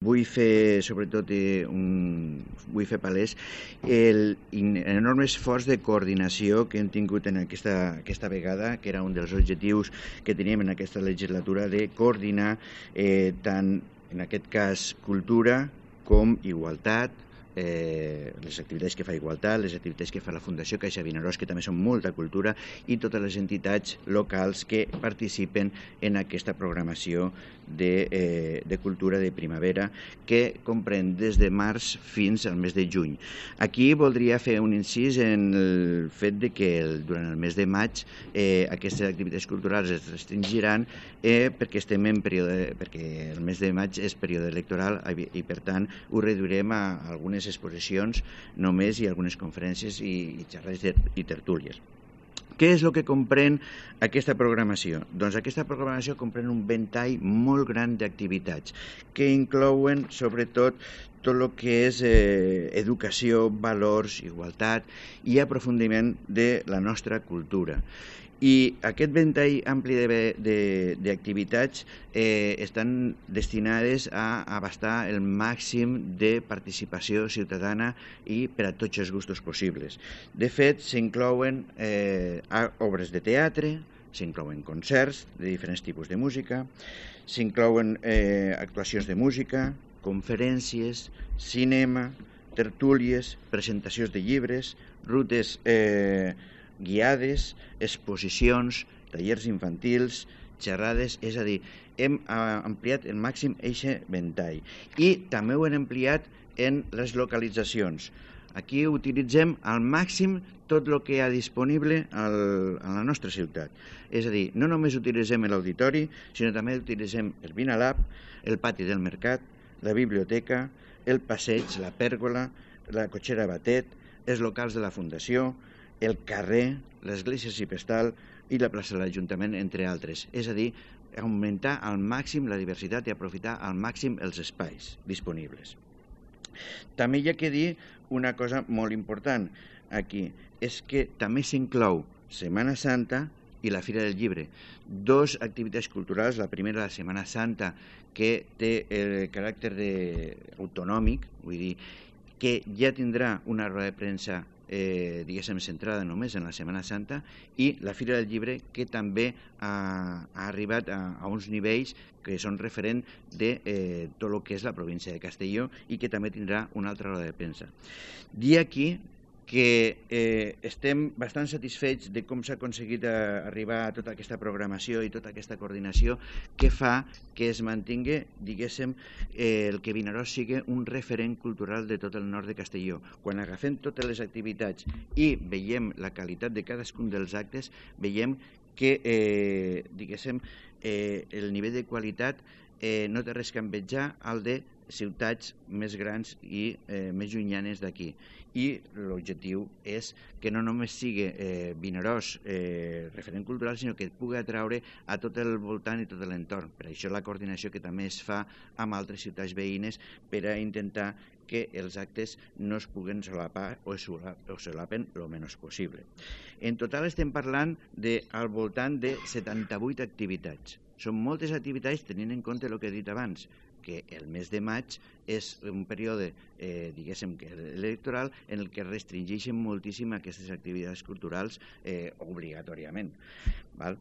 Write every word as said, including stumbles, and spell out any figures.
Vull fer, sobretot, eh, un, vull fer palès l'enorme esforç de coordinació que hem tingut en aquesta, aquesta vegada, que era un dels objectius que teníem en aquesta legislatura, de coordinar eh, tant, en aquest cas, cultura com igualtat, eh, les activitats que fa Igualtat, les activitats que fa la Fundació Caixa Vinaròs, que també són molta cultura, i totes les entitats locals que participen en aquesta programació de, eh, de cultura de primavera, que comprèn des de març fins al mes de juny. Aquí voldria fer un incís en el fet de que el, durant el mes de maig eh, aquestes activitats culturals es restringiran eh, perquè estem en període, perquè el mes de maig és període electoral i, per tant, ho reduirem a algunes exposicions només i algunes conferències i, i xerrades i tertúlies. Què és el que comprèn aquesta programació? Doncs aquesta programació comprèn un ventall molt gran d'activitats que inclouen, sobretot, tot el que és eh, educació, valors, igualtat i aprofundiment de la nostra cultura. I aquest ventall ampli d'activitats eh, estan destinades a abastar el màxim de participació ciutadana i per a tots els gustos possibles. De fet, s'inclouen eh, obres de teatre, s'inclouen concerts de diferents tipus de música, s'inclouen eh, actuacions de música, conferències, cinema, tertúlies, presentacions de llibres, rutes eh, guiades, exposicions, tallers infantils, xerrades, és a dir, hem ampliat el màxim eixe ventall. I també ho hem ampliat en les localitzacions. Aquí utilitzem al màxim tot el que hi ha disponible al, a la nostra ciutat. És a dir, no només utilitzem l'auditori, sinó també utilitzem el Vinalab, el pati del mercat, la biblioteca, el passeig, la pèrgola, la cotxera Batet, els locals de la Fundació, el carrer, l'església Cipestal i la plaça de l'Ajuntament, entre altres. És a dir, augmentar al màxim la diversitat i aprofitar al màxim els espais disponibles. També hi ha que dir una cosa molt important aquí, és que també s'inclou Setmana Santa i la Fira del Llibre. Dos activitats culturals, la primera, la Setmana Santa, que té el caràcter de, autonòmic, vull dir, que ja tindrà una roda de premsa Eh, diguéssim, centrada només en la Setmana Santa, i la Fira del Llibre, que també ha, ha arribat a, a uns nivells que són referent de eh, tot el que és la província de Castelló i que també tindrà una altra roda de premsa. Dir aquí que eh, estem bastant satisfets de com s'ha aconseguit arribar a tota aquesta programació i tota aquesta coordinació que fa que es mantingui, diguéssim, eh, el que Vinaròs sigui un referent cultural de tot el nord de Castelló. Quan agafem totes les activitats i veiem la qualitat de cadascun dels actes, veiem que, eh, diguéssim, eh, el nivell de qualitat eh, no té res que envejar al de ciutats més grans i eh, més llunyanes d'aquí. I l'objectiu és que no només sigui eh, Vinaròs eh, referent cultural, sinó que pugui atraure a tot el voltant i tot l'entorn. Per això la coordinació que també es fa amb altres ciutats veïnes per a intentar que els actes no es puguen solapar o es solapen el menys possible. En total estem parlant de al voltant de setanta-vuit activitats. Són moltes activitats tenint en compte el que he dit abans, que el mes de maig és un període, eh, diguéssim, electoral en el que restringeixen moltíssim aquestes activitats culturals eh, obligatòriament. Val?